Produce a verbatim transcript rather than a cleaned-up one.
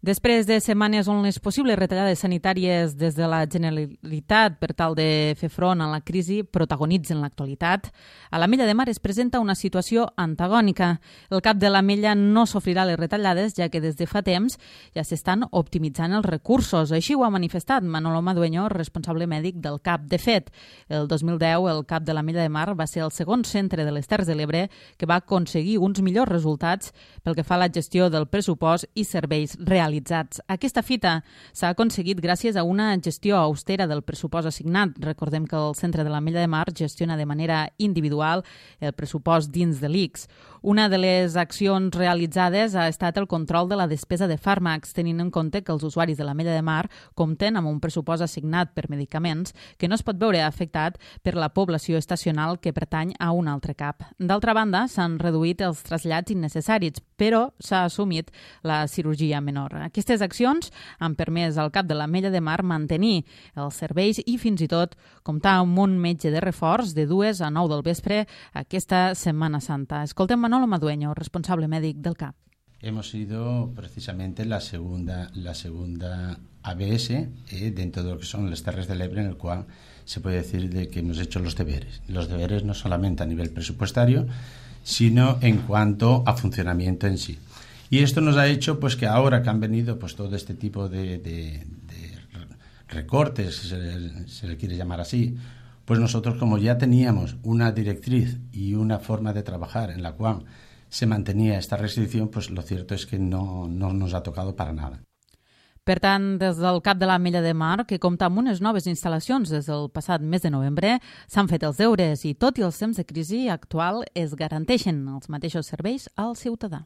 Després de setmanes on les possibles retallades sanitàries des de la Generalitat per tal de fer front a la crisi protagonitzen l'actualitat, a l'Ametlla de Mar es presenta una situació antagònica. El cap de l'Ametlla no sofrirà les retallades, ja que des de fa temps ja s'estan optimitzant els recursos. Així ho ha manifestat Manolo Madueño, responsable mèdic del C A P. De fet, el dos mil deu el C A P de l'Ametlla de Mar va ser el segon centre de les Terres de l'Ebre que va aconseguir uns millors resultats pel que fa a la gestió del pressupost i serveis realitzats. Aquesta fita s'ha aconseguit gràcies a una gestió austera del pressupost assignat. Recordem que el centre de l'Ametlla de Mar gestiona de manera individual el pressupost dins de l'I C S. Una de les accions realitzades ha estat el control de la despesa de fàrmacs, tenint en compte que els usuaris de l'Ametlla de Mar compten amb un pressupost assignat per medicaments que no es pot veure afectat per la població estacional que pertany a un altre C A P. D'altra banda, s'han reduït els trasllats innecessaris, però s'ha assumit la cirurgia menor. Aquestes accions han permès al cap de l'Ametlla de Mar mantenir els serveis i fins i tot comptar amb un metge de reforç de dues a nou del vespre aquesta Setmana Santa. Escoltem Manolo Madueño, responsable mèdic del C A P. Hemos sido precisamente la segunda, la segunda A B S eh, dentro de lo que son las Terres de l'Ebre, en el cual se puede decir de que hemos hecho los deberes. Los deberes no solamente a nivel presupuestario, sino en cuanto a funcionamiento en sí. Y esto nos ha hecho pues que ahora que han venido pues todo este tipo de, de, de recortes, si se le, se le quiere llamar así, pues nosotros, como ya teníamos una directriz y una forma de trabajar en la cual se mantenía esta restricción, pues lo cierto es que no, no nos ha tocado para nada. Per tant, des del C A P de l'Ametlla de Mar, que compta amb unes noves instal·lacions des del passat mes de novembre, s'han fet els deures i, tot i els temps de crisi actual, es garanteixen els mateixos serveis al ciutadà.